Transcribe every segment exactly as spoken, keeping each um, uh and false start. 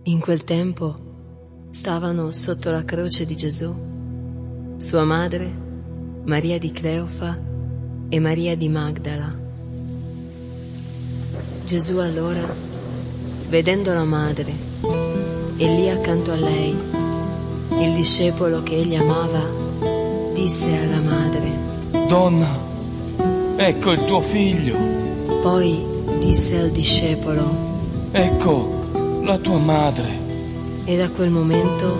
In quel tempo stavano sotto la croce di Gesù sua madre, Maria di Cleofa e Maria di Magdala. Gesù allora, vedendo la madre e lì accanto a lei il discepolo che egli amava, disse alla madre: Donna, ecco il tuo figlio. Poi disse al discepolo: Ecco la tua madre. E da quel momento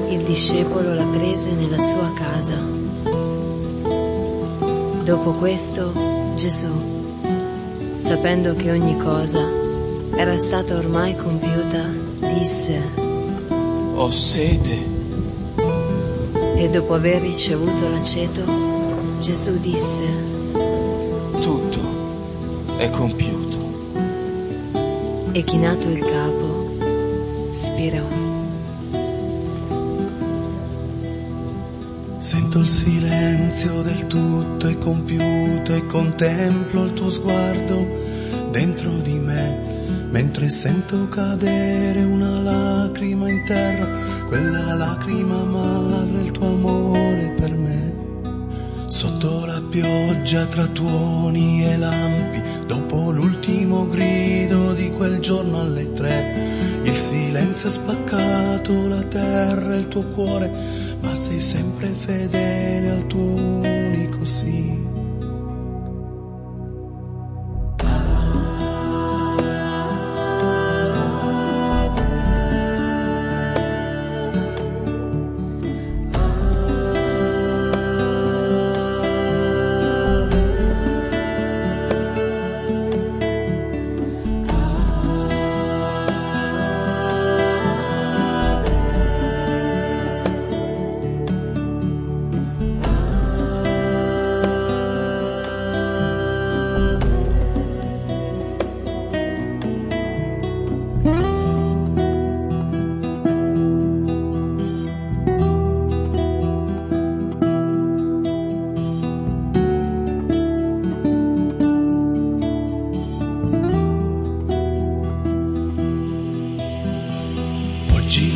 il discepolo la prese nella sua casa. Dopo questo Gesù, sapendo che ogni cosa era stata ormai compiuta, disse: Ho sete. E dopo aver ricevuto l'aceto, Gesù disse: Tutto è compiuto. E chinato il capo, spirò. Sento il silenzio del tutto è compiuto e contemplo il tuo sguardo dentro di me, mentre sento cadere una lacrima in terra, quella lacrima madre, il tuo amore per me. Sotto la pioggia tra tuoni e lampi, dopo l'ultimo grido di quel giorno alle tre, il silenzio ha spaccato la terra e il tuo cuore, ma sei sempre fedele al tuo unico sì.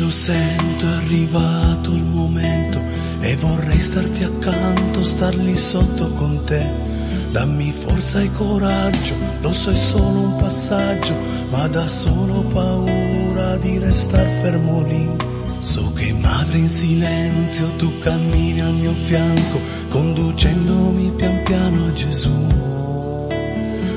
Sento è arrivato il momento e vorrei starti accanto, star lì sotto con te. Dammi forza e coraggio, lo so è solo un passaggio, ma da solo paura di restar fermo lì. So che madre in silenzio tu cammini al mio fianco, conducendomi pian piano a Gesù.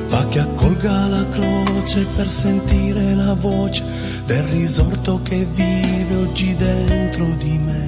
Fa che accolga la croce per sentire la voce del risorto che vive oggi dentro di me.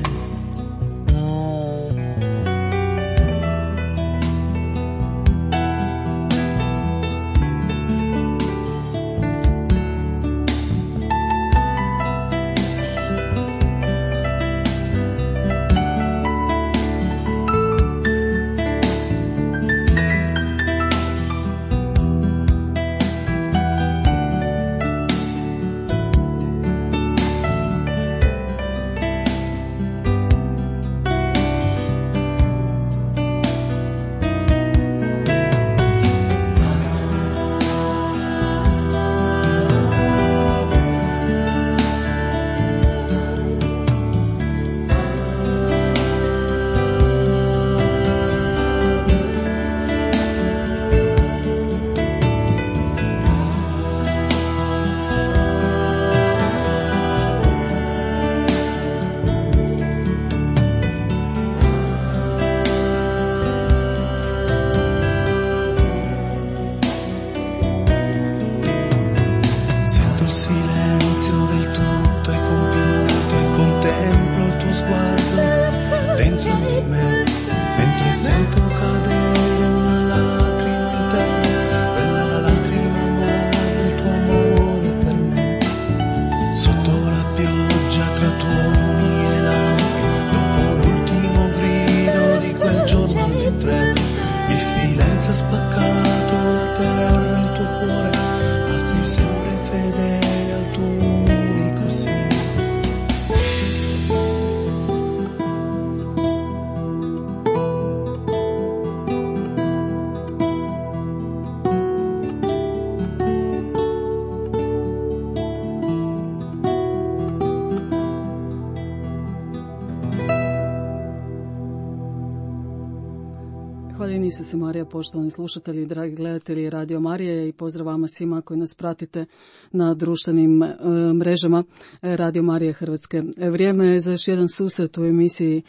Hvaljen Isus i Marija, poštovani slušatelji, dragi gledatelji Radio Marije, i pozdrav vama svima koji nas pratite na društvenim e, mrežama Radio Marije Hrvatske. Vrijeme je za još jedan susret u emisiji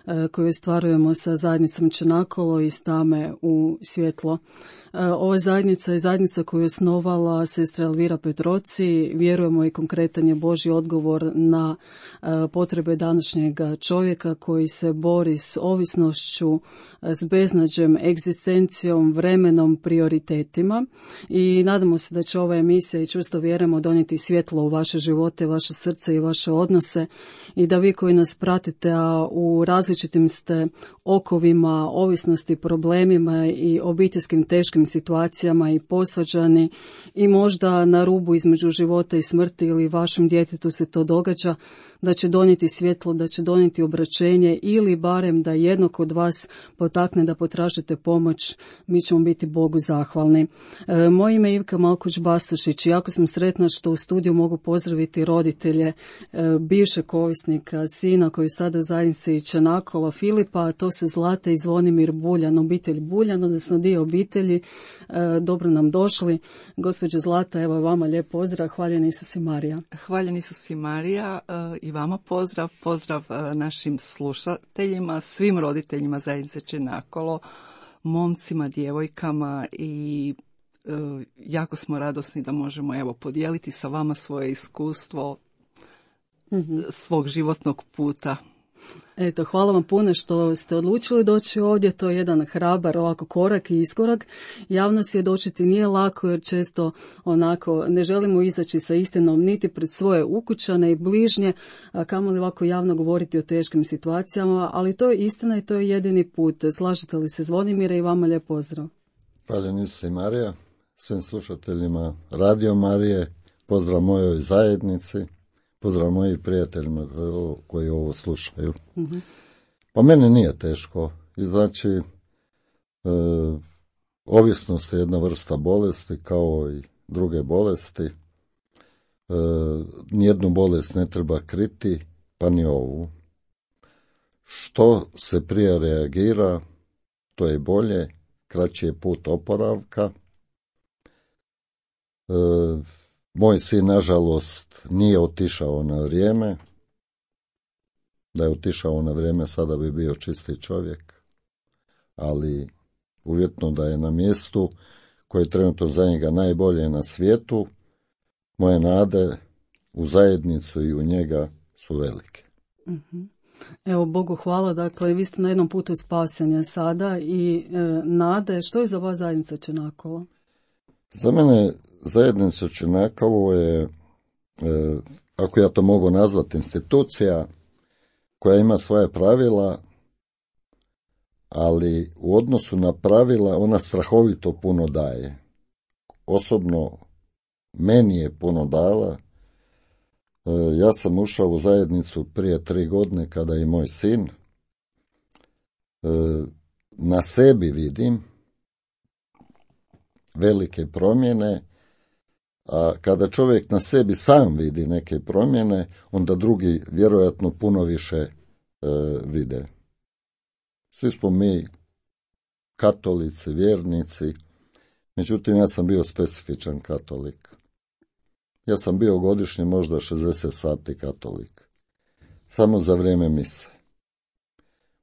e, koju stvarujemo sa zajednicom Čenakolo iz tame u svjetlo. E, ova zajednica je zajednica koju je osnovala sestra Elvira Petroci. Vjerujemo i konkretan je Božji odgovor na e, potrebe današnjeg čovjeka koji se bori s ovisnošću, s beznađem, egzistencijom, vremenom, prioritetima, i nadamo se da će ova emisija, i čvrsto vjerujemo, donijeti svjetlo u vaše živote, vaše srce i vaše odnose, i da vi koji nas pratite, a u različitim ste okovima ovisnosti, problemima i obiteljskim teškim situacijama i posvađani i možda na rubu između života i smrti, ili vašem djetetu se to događa, da će donijeti svjetlo, da će donijeti obraćenje, ili barem da jednog od vas potakne da potražite pomoć. Mi ćemo biti Bogu zahvalni. E, moje ime je Ivka Malkuć-Bastašić. Jako sam sretna što u studiju mogu pozdraviti roditelje e, bivšeg ovisnika, sina koji je sada u zajednici Čenakolo, Filipa, a to su Zlata i Zvonimir Buljan, obitelj Buljan, odnosno dio obitelji. E, dobro nam došli. Gospođo Zlata, evo vama lijep pozdrav. Hvaljen Isus i Marija. Hvaljen Isus i Marija, e, i vama pozdrav, pozdrav e, našim slušateljima, svim roditeljima zajednice Čenakolo, momcima, djevojkama, i e, jako smo radosni da možemo evo podijeliti sa vama svoje iskustvo mm-hmm. svog životnog puta. Eto, hvala vam puno što ste odlučili doći ovdje. To je jedan hrabar ovako korak i iskorak. Javno svjedočiti nije lako, jer često onako ne želimo izaći sa istinom niti pred svoje ukućane i bližnje, a kamoli ovako javno govoriti o teškim situacijama, ali to je istina i to je jedini put. Slažete li se, Zvonimire, i vama lijep pozdrav. Hvala Isus i Marija, svim slušateljima Radio Marije, pozdrav mojoj zajednici, pozdrav mojim prijateljima koji ovo slušaju. Mm-hmm. Pa meni nije teško. I znači, e, ovisnost je jedna vrsta bolesti kao i druge bolesti. E, nijednu bolest ne treba kriti, pa ni ovu. Što se prije reagira, to je bolje, kraći je put oporavka. E, Moj sin, nažalost, nije otišao na vrijeme. Da je otišao na vrijeme, sada bi bio čisti čovjek. Ali uvjetno da je na mjestu koje je trenutno za njega najbolje na svijetu, moje nade u zajednicu i u njega su velike. Mm-hmm. Evo, Bogu hvala. Dakle, vi ste na jednom putu spasenja sada i e, nade. Što je za vas zajednica Čenakolo? Za mene zajednica Čenakolo je, e, ako ja to mogu nazvati, institucija koja ima svoje pravila, ali u odnosu na pravila ona strahovito puno daje. Osobno meni je puno dala. E, ja sam ušao u zajednicu prije tri godine kada je moj sin. E, na sebi vidim velike promjene, a kada čovjek na sebi sam vidi neke promjene, onda drugi vjerojatno puno više e, vide. Svi smo mi katolici, vjernici, međutim ja sam bio specifičan katolik. Ja sam bio godišnje možda šezdeset sati katolik. Samo za vrijeme mise.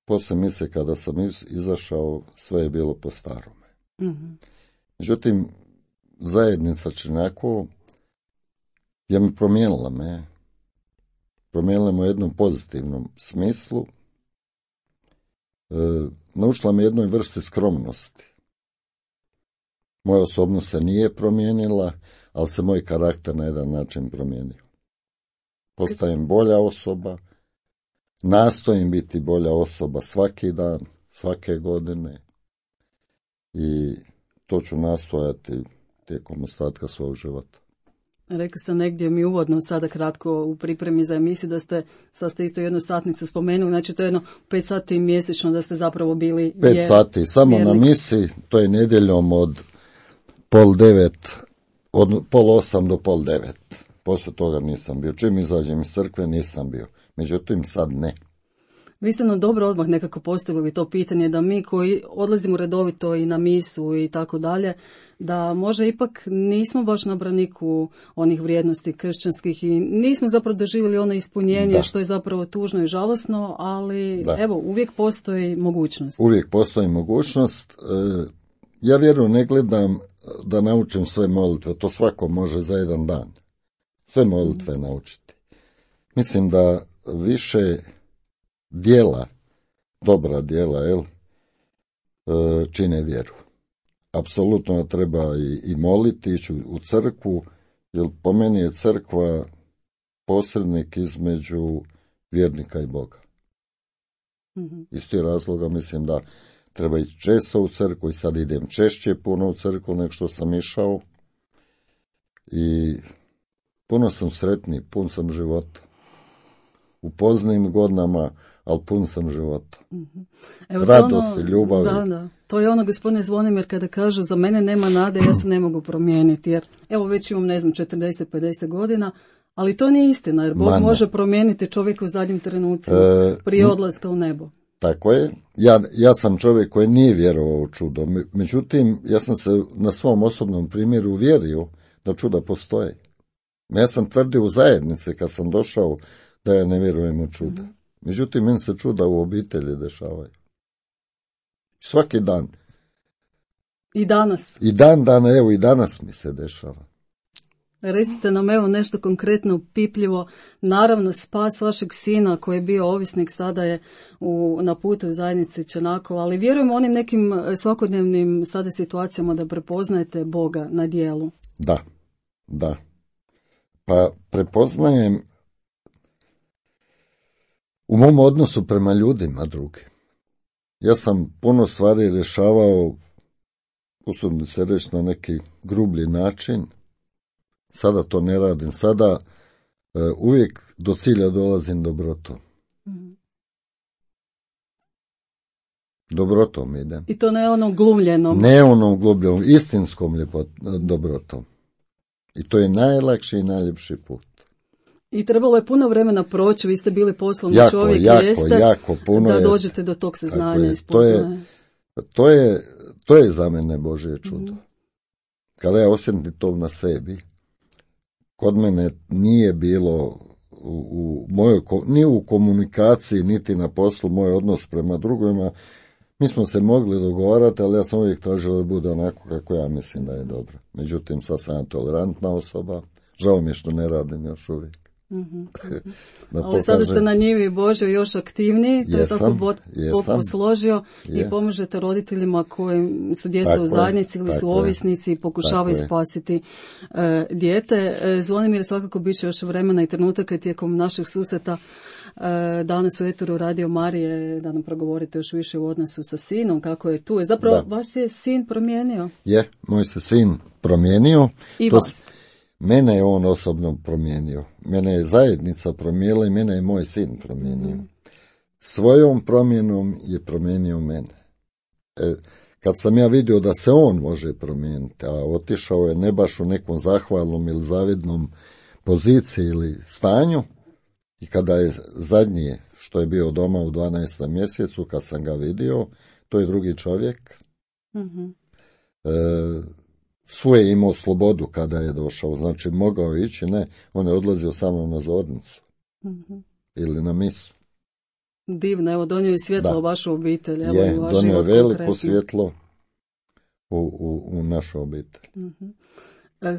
Poslije mise kada sam izašao, sve je bilo po starome. Mm-hmm. Međutim, zajednica Čenakolo je me promijenila me. Promijenila me u jednom pozitivnom smislu. E, naučila me jednoj vrsti skromnosti. Moja osobnost se nije promijenila, ali se moj karakter na jedan način promijenio. Postajem bolja osoba, nastojim biti bolja osoba svaki dan, svake godine, i to ću nastojati tijekom ostatka svog života. Rekli ste negdje mi uvodno sada kratko u pripremi za emisiju da ste, sad ste isto jednu satnicu spomenuli, znači to je jedno pet sati mjesečno da ste zapravo bili Pet vjer, sati, samo vjernik. Na misi, to je nedjeljom od pol devet, od pol osam do pol devet. Poslije toga nisam bio. Čim izađem iz crkve nisam bio. Međutim, sad ne. Vi ste nam dobro odmah nekako postavili to pitanje da mi koji odlazimo redovito i na misu i tako dalje, da možda ipak nismo baš na braniku onih vrijednosti kršćanskih i nismo zapravo doživjeli ono ispunjenje da. Što je zapravo tužno i žalosno, ali da. Evo, uvijek postoji mogućnost. Uvijek postoji mogućnost. Ja vjerujem, ne gledam da naučim sve molitve, to svako može za jedan dan. Sve molitve mm. naučiti. Mislim da više djela, dobra djela, jel, čine vjeru. Apsolutno treba i, i moliti, ići u crkvu, jer po meni je crkva posrednik između vjernika i Boga. Mm-hmm. Iz tih razloga mislim da treba ići često u crkvu i sad idem češće puno u crkvu nego što sam išao i puno sam sretniji, pun sam života. U poznim godinama, ali pun sam života. Mm-hmm. Evo, radosti, ono, ljubavi. Da, da. To je ono, gospodine Zvonimir, kada kažu za mene nema nade, ja se ne mogu promijeniti. Jer evo već imam, ne znam, četrdeset pedeset godina, ali to nije istina, jer Bog Mane. može promijeniti čovjeka u zadnjim trenucima, e, prije odlaska u nebo. Tako je. Ja, ja sam čovjek koji nije vjerovao u čudo. Međutim, ja sam se na svom osobnom primjeru uvjerio da čuda postoje. Ja sam tvrdio u zajednici kad sam došao da ja ne vjerujem u čuda. Mm-hmm. Međutim, meni se čuda u obitelji dešavaju. Svaki dan. I danas. I dan, dan, evo i danas mi se dešava. Recite nam evo nešto konkretno, pipljivo. Naravno, spas vašeg sina koji je bio ovisnik sada je u, na putu u zajednici Čenakova, ali vjerujemo onim nekim svakodnevnim sada situacijama da prepoznajete Boga na djelu. Da, da. Pa prepoznajem u mom odnosu prema ljudima drugi. Ja sam puno stvari rješavao, usudim se reći, na neki grublji način. Sada to ne radim. Sada uh, uvijek do cilja dolazim dobrotom. Mm-hmm. Dobrotom idem. I to ne onom glumljenom. Ne onom glumljenom, istinskom ljepot, dobrotom. I to je najlakši i najljepši put. I trebalo je puno vremena proći, vi ste bili poslovni jako, čovjek, jako, jeste, jako puno da je, dođete do tog saznanja i spoznaje. To je, to je, to je za mene Božje čudo. Mm. Kada ja osjetim to na sebi, kod mene nije bilo u, u mojoj, ni u komunikaciji, niti na poslu, moj odnos prema drugima. Mi smo se mogli dogovarati, ali ja sam uvijek tražio da bude onako kako ja mislim da je dobro. Međutim, sad sam tolerantna osoba, žao mi je što ne radim još uvijek. Mm-hmm. Ali pokažem. Sada ste na njivi Božoj još aktivniji, to je tako Bog posložio i pomažete roditeljima koji su djeca tako u zajednici ili su ovisnici i pokušavaju spasiti uh, dijete. Zvonimir, svakako bit će još vremena i trenutaka tijekom naših susreta uh, danas u eteru Radio Marije da nam progovorite još više u odnosu sa sinom, kako je tu. Zapravo, da. Vaš je sin promijenio? Je, moj se sin promijenio. I to vas? Mene je on osobno promijenio. Mene je zajednica promijenila i mene je moj sin promijenio. Mm. Svojom promjenom je promijenio mene. E, kad sam ja vidio da se on može promijeniti, a otišao je ne baš u nekom zahvalnom ili zavidnom poziciji ili stanju, i kada je zadnji što je bio doma u dvanaestom mjesecu, kad sam ga vidio, to je drugi čovjek. Mm-hmm. E, Svoje imao slobodu kada je došao, znači mogao ići, ne, on je odlazio samo na zornicu mm-hmm. ili na misu. Divno, evo donio je svjetlo u vašu obitelj. Evo, je, donio je veliko svjetlo u, u, u našu obitelj. Mm-hmm.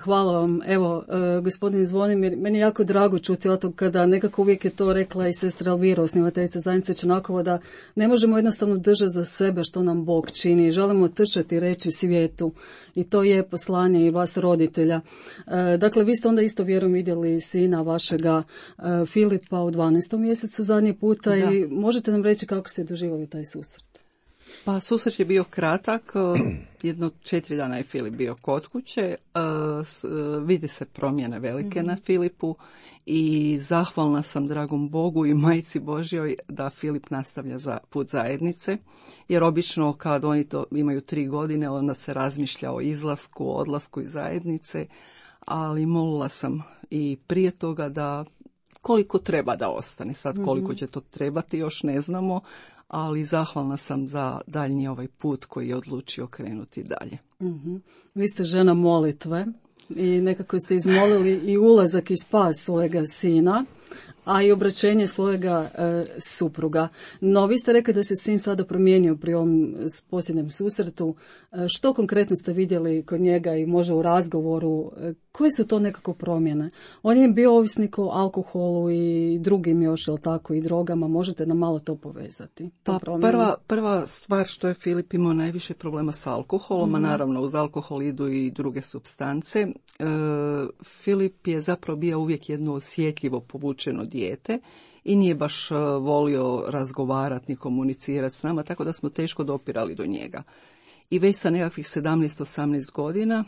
Hvala vam. Evo, gospodin Zvonimir, meni je jako drago čuti o tom kada nekako uvijek je to rekla i sestra Elvira, osnivateljica zajednice Čenakova, da ne možemo jednostavno držati za sebe što nam Bog čini. Želimo trčati reći svijetu i to je poslanje i vas roditelja. Dakle, vi ste onda isto vjerujem vidjeli sina vašega Filipa u dvanaestom mjesecu zadnji puta da. I možete nam reći kako ste doživjeli taj susret? Pa susret je bio kratak, jedno četiri dana je Filip bio kod kuće, vidi se promjene velike mm-hmm. na Filipu i zahvalna sam dragom Bogu i Majci Božjoj da Filip nastavlja za put zajednice, jer obično kad oni to imaju tri godine onda se razmišlja o izlasku, odlasku iz zajednice, ali molila sam i prije toga da koliko treba da ostane. Sad koliko će to trebati još ne znamo, ali zahvalna sam za daljnji ovaj put koji je odlučio krenuti dalje. Mm-hmm. Vi ste žena molitve i nekako ste izmolili i ulazak i spas svojega sina, a i obraćenje svojega e, supruga. No, vi ste rekli da se sin sada promijenio pri ovom posljednjem susretu. E, što konkretno ste vidjeli kod njega i može u razgovoru? E, koje su to nekako promjene? On je bio ovisnik o alkoholu i drugim još, jel tako, i drogama. Možete nam malo to povezati? To pa prva, prva stvar što je Filip imao najviše problema s alkoholom, mm-hmm. a naravno uz alkohol idu i druge supstance. E, Filip je zapravo bio uvijek jedno osjetljivo povučeno dijete i nije baš volio razgovarati ni komunicirati s nama, tako da smo teško dopirali do njega. I već sa nekakvih sedamnaest osamnaest godina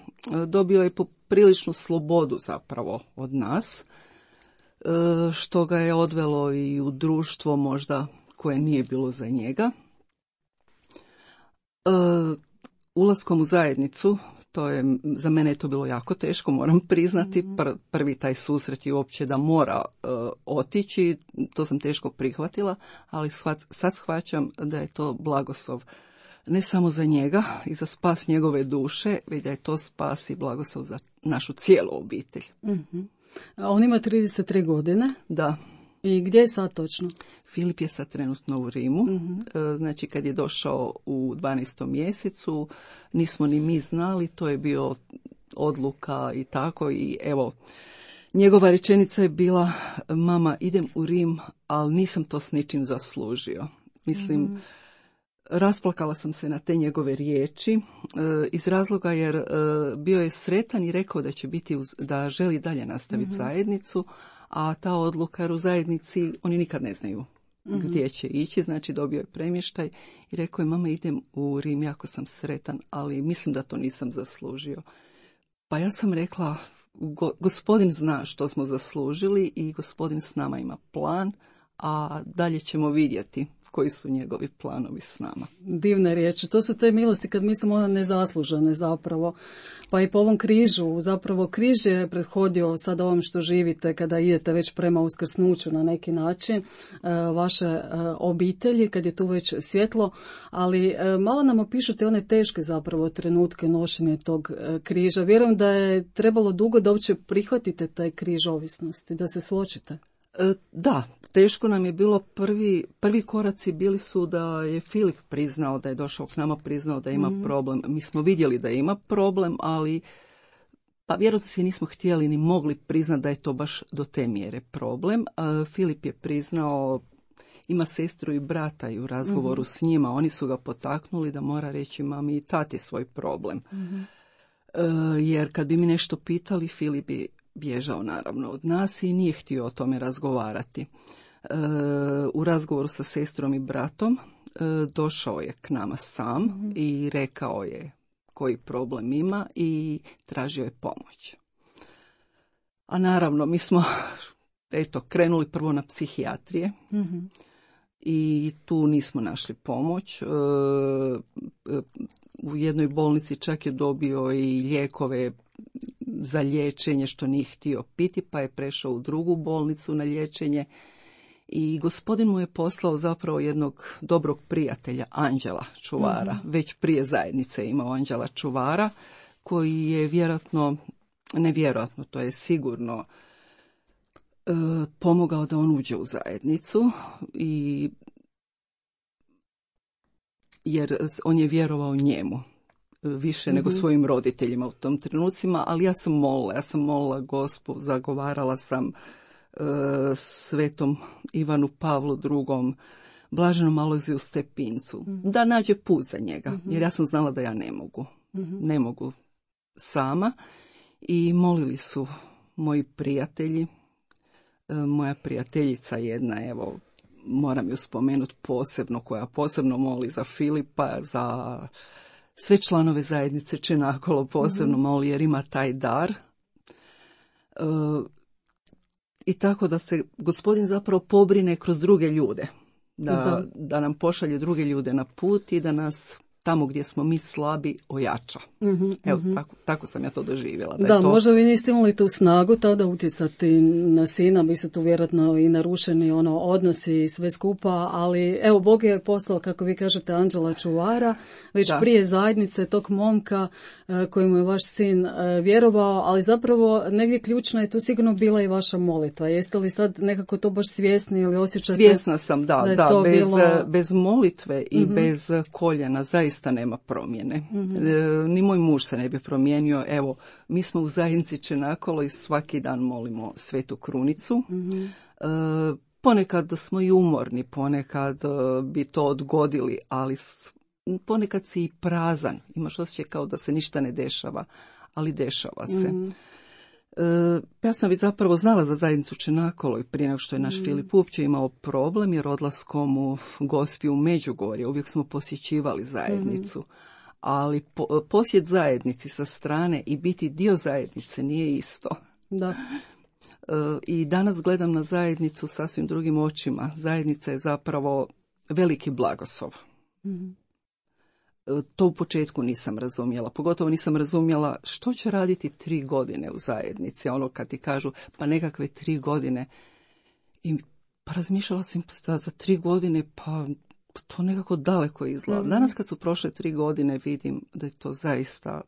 dobio je popriličnu slobodu zapravo od nas, što ga je odvelo i u društvo možda koje nije bilo za njega. Ulaskom u zajednicu, to je, za mene je to bilo jako teško, moram priznati, Pr, prvi taj susret je uopće da mora uh, otići, to sam teško prihvatila, ali shvat, sad shvaćam da je to blagoslov ne samo za njega i za spas njegove duše, već da je to spas i blagoslov za našu cijelu obitelj. Mm-hmm. A on ima trideset tri godine? Da. I gdje je sad točno? Filip je sad trenutno u Rimu, mm-hmm. znači kad je došao u dvanaestom mjesecu, nismo ni mi znali, to je bio odluka i tako i evo, njegova rečenica je bila, mama idem u Rim, ali nisam to s ničim zaslužio. Mislim, mm-hmm. rasplakala sam se na te njegove riječi iz razloga jer bio je sretan i rekao da će biti, uz, da želi dalje nastaviti mm-hmm. zajednicu, a ta odluka jer u zajednici oni nikad ne znaju mm-hmm. gdje će ići, znači dobio je premještaj i rekao je mama idem u Rim, jako sam sretan, ali mislim da to nisam zaslužio. Pa ja sam rekla, go, gospodin zna što smo zaslužili i gospodin s nama ima plan, a dalje ćemo vidjeti koji su njegovi planovi s nama. Divne riječi. To su te milosti kad mislimo ona nezaslužene zapravo. Pa i po ovom križu, zapravo križ je prethodio sad ovom što živite kada idete već prema uskrsnuću na neki način vaše obitelji, kad je tu već svjetlo, ali malo nam opišete one teške zapravo trenutke nošenja tog križa. Vjerujem da je trebalo dugo da uopće prihvatite taj križ ovisnosti, da se suočite. Da, teško nam je bilo, prvi, prvi koraci bili su da je Filip priznao da je došao k nama, priznao da ima mm. problem. Mi smo vidjeli da ima problem, ali pa vjerojatno si nismo htjeli ni mogli priznati da je to baš do te mjere problem. Uh, Filip je priznao, ima sestru i brata i u razgovoru mm-hmm. s njima, oni su ga potaknuli da mora reći mami i tati svoj problem. Mm-hmm. Uh, jer kad bi mi nešto pitali, Filip bi bježao naravno od nas i nije htio o tome razgovarati. E, u razgovoru sa sestrom i bratom e, došao je k nama sam mm-hmm. i rekao je koji problem ima i tražio je pomoć. A naravno mi smo eto, krenuli prvo na psihijatrije mm-hmm. i tu nismo našli pomoć. E, e, u jednoj bolnici čak je dobio i lijekove za liječenje što nije htio piti, pa je prešao u drugu bolnicu na liječenje i gospodin mu je poslao zapravo jednog dobrog prijatelja, Anđela Čuvara. Mm-hmm. Već prije zajednice imao Anđela Čuvara, koji je vjerojatno, nevjerojatno, to je sigurno e, pomogao da on uđe u zajednicu i jer on je vjerovao njemu više nego mm-hmm. svojim roditeljima u tom trenucima, ali ja sam molila, ja sam molila Gospu, zagovarala sam e, svetom Ivanu Pavlu drugom, blaženom Alojziju Stepincu, mm-hmm. da nađe put za njega, mm-hmm. jer ja sam znala da ja ne mogu, mm-hmm. ne mogu sama i molili su moji prijatelji, e, moja prijateljica jedna, evo, moram ju spomenuti posebno, koja posebno moli za Filipa, za sve članove zajednice Čenakolo posebno mm-hmm. moli jer ima taj dar. E, I tako da se gospodin zapravo pobrine kroz druge ljude. Da, mm-hmm. da nam pošalje druge ljude na put i da nas tamo gdje smo mi slabi ojača. Mm-hmm, Evo, mm-hmm. tako, tako sam ja to doživjela. Da, da je to... možda vi niste imali tu snagu tada utjecati na sina, bi se tu vjerojatno i narušeni ono, odnosi i sve skupa, ali evo, Bog je poslao, kako vi kažete, anđela čuvara, već da. prije zajednice tog momka kojemu je vaš sin vjerovao, ali zapravo negdje ključno je tu sigurno bila i vaša molitva. Jeste li sad nekako to baš svjesni ili osjećate? Svjesna sam, da, da, da bez, bilo... bez molitve i mm-hmm. bez koljena zaista nema promjene. Mm-hmm. E, ni moj muž se ne bi promijenio. Evo, mi smo u zajednici Čenakolo i svaki dan molimo Svetu Krunicu. Mm-hmm. E, ponekad smo i umorni, ponekad bi to odgodili, ali ponekad si i prazan. Imaš osjećaj kao da se ništa ne dešava, ali dešava se. Mm-hmm. E, ja sam već zapravo znala za zajednicu Čenakolo i prije nego što je naš mm. Filip uopće imao problem, jer odlaskom u Gospiju u Međugorje uvijek smo posjećivali zajednicu. Mm. Ali po, posjet zajednici sa strane i biti dio zajednice nije isto. Da. E, I danas gledam na zajednicu sasvim drugim očima. Zajednica je zapravo veliki blagoslov. Mm. To u početku nisam razumjela. Pogotovo nisam razumjela što će raditi tri godine u zajednici. Ono kad ti kažu pa nekakve tri godine. I pa razmišljala sam da za tri godine pa to nekako daleko izgleda. Mm-hmm. Danas kad su prošle tri godine vidim da je to zaista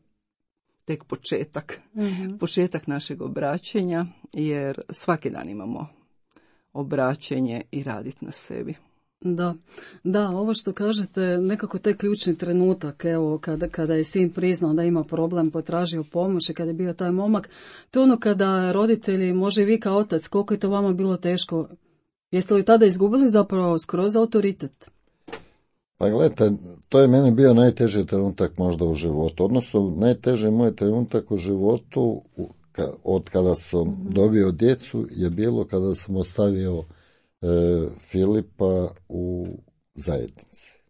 tek početak. Mm-hmm. Početak našeg obraćenja, jer svaki dan imamo obraćenje i raditi na sebi. Da, da, ovo što kažete, nekako taj ključni trenutak, evo, kada, kada je sin priznao da ima problem, potražio pomoć i kada je bio taj momak, to ono kada roditelji, može i vi kao otac, koliko je to vama bilo teško, jeste li tada izgubili zapravo skroz autoritet? Pa gledajte, to je meni bio najteži trenutak možda u životu, odnosno najteži moj trenutak u životu od kada sam mm-hmm. dobio djecu je bilo kada sam ostavio E, Filipa u zajednici.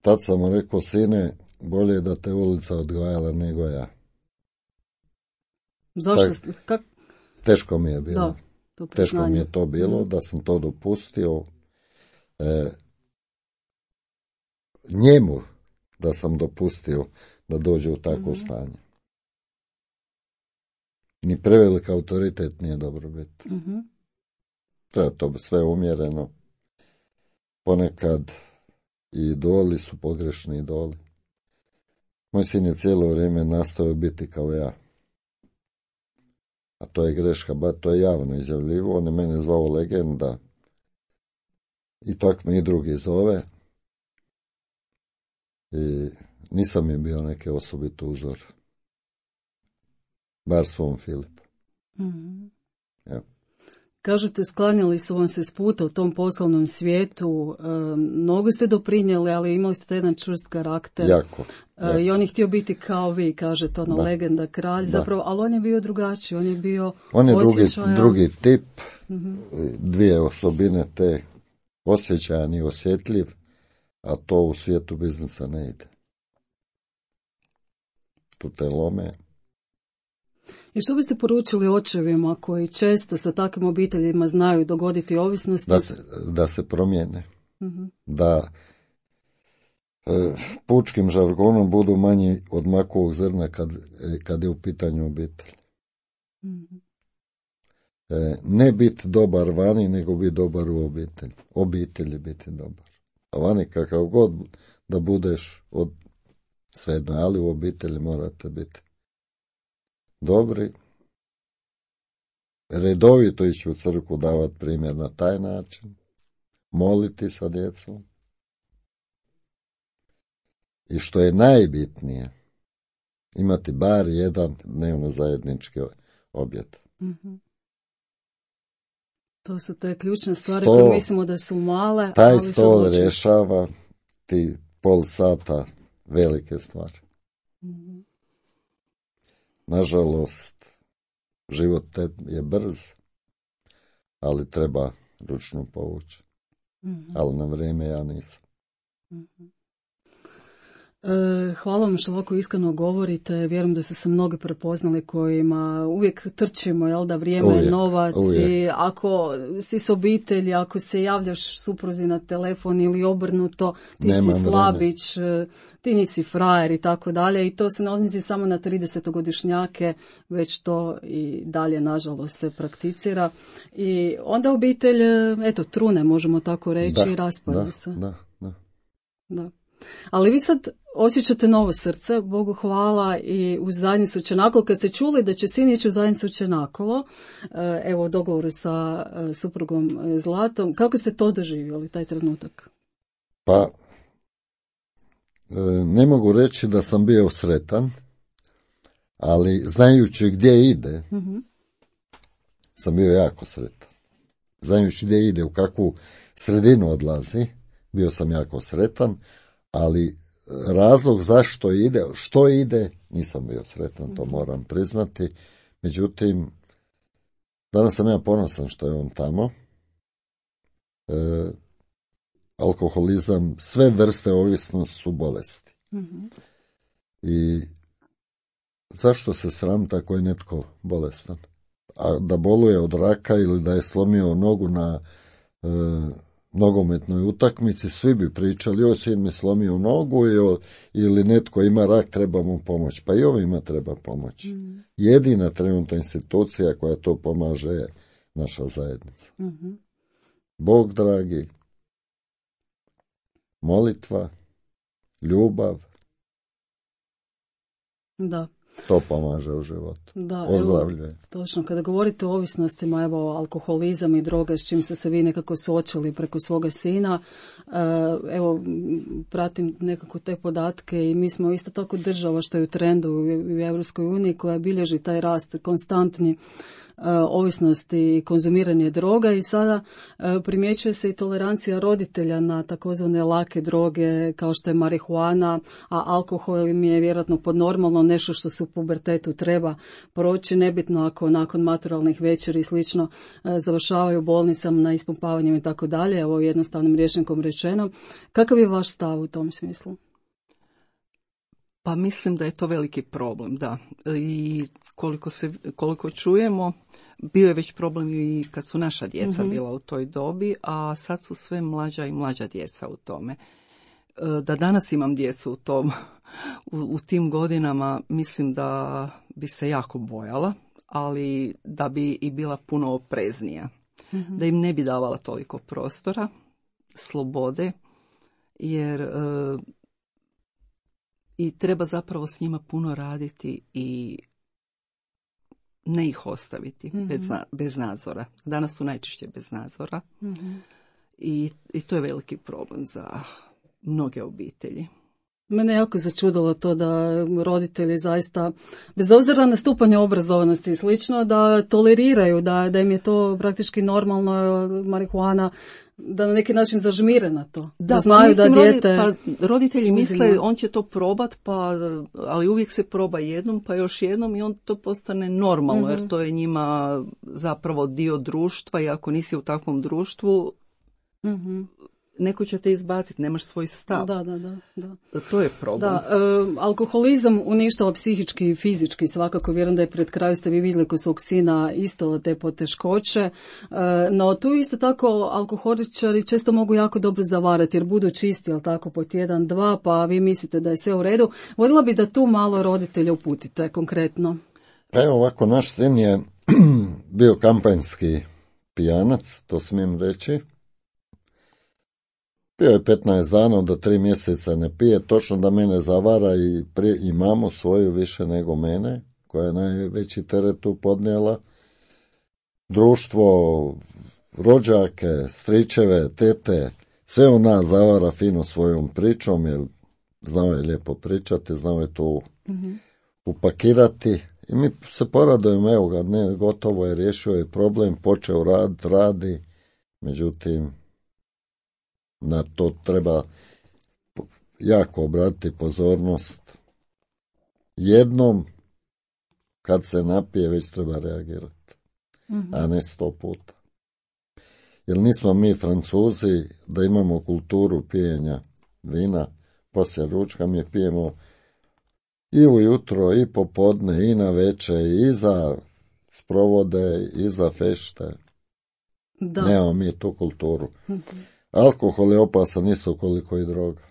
Tad sam mu rekao, sine, bolje da te ulica odgajala nego ja. Zašto? Tak, Kak... Teško mi je bilo. Da, to teško mi je to bilo, mm. da sam to dopustio. E, njemu da sam dopustio da dođe u takvo mm. stanje. Ni prevelik autoritet nije dobro biti. Mm-hmm. Treba to sve umjereno. Ponekad i idoli su pogrešni idoli. Moj sin je cijelo vrijeme nastavio biti kao ja. A to je greška, ba to je javno izjavljivo. On je mene zvao legenda. I tako me i drugi zove. I nisam mi bio neki osobit uzor. Bar svom Filipu. Mm-hmm. Evo. Kažete, sklanjali su vam se s puta u tom poslovnom svijetu, e, mnogo ste doprinijeli, ali imali ste jedan čvrst karakter. Jako, jako. E, I on je htio biti kao vi, kažete, ona da. legenda, kralj, da. zapravo, ali on je bio drugačiji, on je bio On je drugi, drugi tip, mm-hmm. dvije osobine te, osjećajan i osjetljiv, a to u svijetu biznisa ne ide. Tu te lome. I što biste poručili očevima koji često sa takvim obiteljima znaju dogoditi ovisnosti? Da se, da se promijene. Mm-hmm. Da e, pučkim žargonom budu manji od makovog zrna kad, kad je u pitanju obitelj. Mm-hmm. E, ne biti dobar vani, nego biti dobar u obitelji. Obitelji biti dobar. A vani kakav god da budeš od svejedno, ali u obitelji morate biti dobri, redovito ići u crkvu, davati primjer na taj način, moliti sa djecom i što je najbitnije, imati bar jedan dnevno zajednički objed. Mm-hmm. To su te ključne stvari Sto, koje mislimo da su male. Taj ali stol rješava ti pol sata velike stvari. Mm-hmm. Nažalost, život je brz, ali treba ručno povući. Mm-hmm. Ali na vrijeme ja nisam. Mm-hmm. Hvala vam što ovako iskreno govorite. Vjerujem da su se mnogi prepoznali kojima uvijek trčimo, jel da, vrijeme je uvijek, novac uvijek. I ako si s obitelji, ako se javljaš supruzi na telefon ili obrnuto, ti Nema si slabić, ti nisi frajer i tako dalje. I to se ne odnosi samo na tridesetogodišnjake, već to i dalje nažalost se prakticira. I onda obitelj, eto, trune, možemo tako reći, Da, i raspada da, se. da, da. Da. Ali vi sad osjećate novo srce, Bogu hvala, i u zajednicu Čenakolo. Kad ste čuli da će sin ići u zajednicu Čenakolo, evo u dogovoru sa suprugom Zlatom, kako ste to doživjeli, taj trenutak? Pa, ne mogu reći da sam bio sretan, ali znajući gdje ide, mm-hmm. sam bio jako sretan. Znajući gdje ide, u kakvu sredinu odlazi, bio sam jako sretan, ali razlog zašto ide, što ide, nisam bio sretan, to moram priznati. Međutim, danas sam ja ponosan što je on tamo. E, alkoholizam, sve vrste ovisnosti su bolesti. Mm-hmm. I zašto se sram tako je netko bolestan? A da boluje od raka ili da je slomio nogu na e, nogometnoj utakmici, svi bi pričali, joj, sin mi slomio nogu i, ili netko ima rak, treba mu pomoć. Pa i ovima treba pomoć. Mm. Jedina trenutna institucija koja to pomaže je naša zajednica. Mm-hmm. Bog dragi, molitva, ljubav, da. To pomaže u životu. Da, ozdravljuje. Točno, kada govorite o ovisnostima, evo, alkoholizam i droga, s čim ste se vi nekako suočili preko svoga sina, evo, pratim nekako te podatke i mi smo isto tako država što je u trendu u Europskoj uniji koja bilježi taj rast konstantni ovisnosti i konzumiranje droga i sada primjećuje se i tolerancija roditelja na takozvane lake droge kao što je marihuana, a alkohol im je vjerojatno podnormalno nešto što se u pubertetu treba proći, nebitno ako nakon maturalnih večeri i slično završavaju u bolnicama na ispumpavanjem i tako dalje, evo jednostavnim rječnikom rečeno. Kakav je vaš stav u tom smislu? Pa mislim da je to veliki problem, da. I koliko, se, koliko čujemo, bio je već problem i kad su naša djeca mm-hmm. bila u toj dobi, a sad su sve mlađa i mlađa djeca u tome. Da danas imam djecu u, tom, u, u tim godinama, mislim da bi se jako bojala, ali da bi i bila puno opreznija. Mm-hmm. Da im ne bi davala toliko prostora, slobode, jer... I treba zapravo s njima puno raditi i ne ih ostaviti mm-hmm. bez, bez nadzora. Danas su najčešće bez nadzora mm-hmm. I, i to je veliki problem za mnoge obitelji. Mene je jako začudilo to da roditelji zaista, bez obzira na stupanje obrazovanosti i slično, da toleriraju, da, da im je to praktički normalno, marihuana, da na neki način zažmire na to. Da, da znaju pa, mislim, da dijete... Pa, roditelji uzima. Misle on će to probat, pa, ali uvijek se proba jednom, pa još jednom i on to postane normalno, mm-hmm. jer to je njima zapravo dio društva i ako nisi u takvom društvu, mm-hmm. neko će te izbaciti, nemaš svoj stav. Da, da, da. da. To je problem. Da, e, alkoholizam uništava psihički i fizički, svakako vjerujem da je pred kraju ste vi vidjeli kod svog sina isto te poteškoće, e, no tu isto tako alkoholičari često mogu jako dobro zavarati jer budu čisti, jel tako, po tjedan, dva, pa vi mislite da je sve u redu. Voljela bi da tu malo roditelja uputite konkretno. Pa evo ovako, naš sin je bio kampanjski pijanac, to smijem reći. Bio je petnaest dana, da tri mjeseca ne pije, točno da mene zavara i, prije, i mamu svoju više nego mene, koja je najveći teret tu podnijela. Društvo, rođake, stričeve, tete, sve u nas zavara fino svojom pričom, jer znao je lijepo pričati, znao je to mm-hmm. upakirati. I mi se poradujemo, evo ga, ne, gotovo je, riješio je problem, počeo rad, radi, međutim, na to treba jako obratiti pozornost. Jednom, kad se napije, već treba reagirati, mm-hmm. a ne sto puta. Jer nismo mi Francuzi da imamo kulturu pijenja vina poslije ručka mi pijemo i ujutro, i popodne, i na večer, i za sprovode, i za fešte. Da. Nemamo mi tu kulturu. Alkohol je opasan isto koliko i droga.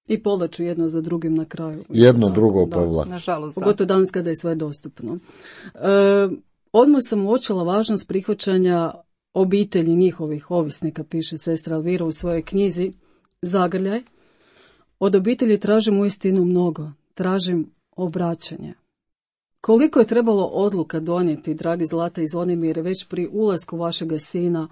I povlaču jedno za drugim na kraju. Jedno Da, drugo da. povlači. Nažalost, da. Pogotovo danas kada je sve dostupno. E, odmah sam uočila važnost prihvaćanja obitelji njihovih ovisnika, piše sestra Elvira u svojoj knjizi Zagrljaj. Od obitelji tražim uistinu mnogo. Tražim obraćanje. Koliko je trebalo odluka donijeti, dragi Zlata i Zvonimire, već pri ulasku vašega sina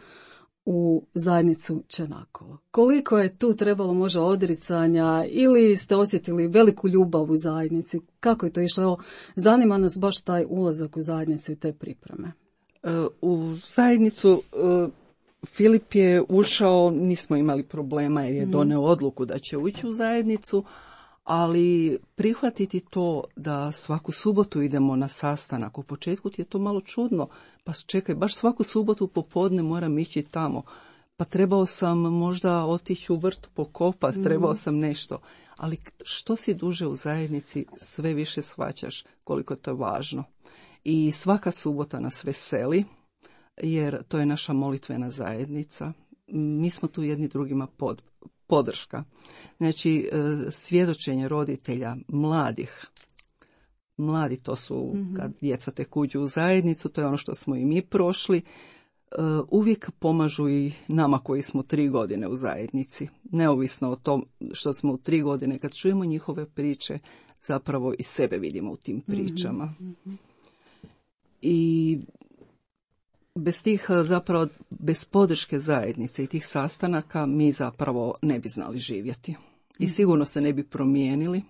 u zajednicu Čenakovo? Koliko je tu trebalo možda odricanja ili ste osjetili veliku ljubav u zajednici? Kako je to išlo? Evo, zanima nas baš taj ulazak u zajednicu i te pripreme. U zajednicu Filip je ušao, nismo imali problema jer je doneo odluku da će ući u zajednicu, ali prihvatiti to da svaku subotu idemo na sastanak, u početku ti je to malo čudno, pa čekaj, baš svaku subotu popodne moram ići tamo, pa trebao sam možda otići u vrt pokopat, mm. trebao sam nešto, ali što si duže u zajednici, sve više shvaćaš koliko to je važno. I svaka subota nas veseli, jer to je naša molitvena zajednica. Mi smo tu jedni drugima pod, podrška. Znači, svjedočenje roditelja, mladih. Mladi to su, mm-hmm. kad djeca tek uđu u zajednicu, to je ono što smo i mi prošli. Uvijek pomažu i nama koji smo tri godine u zajednici. Neovisno o tom što smo u tri godine, kad čujemo njihove priče, zapravo i sebe vidimo u tim pričama. Mm-hmm. I bez tih, zapravo, bez podrške zajednice i tih sastanaka mi zapravo ne bi znali živjeti. I sigurno se ne bi promijenili.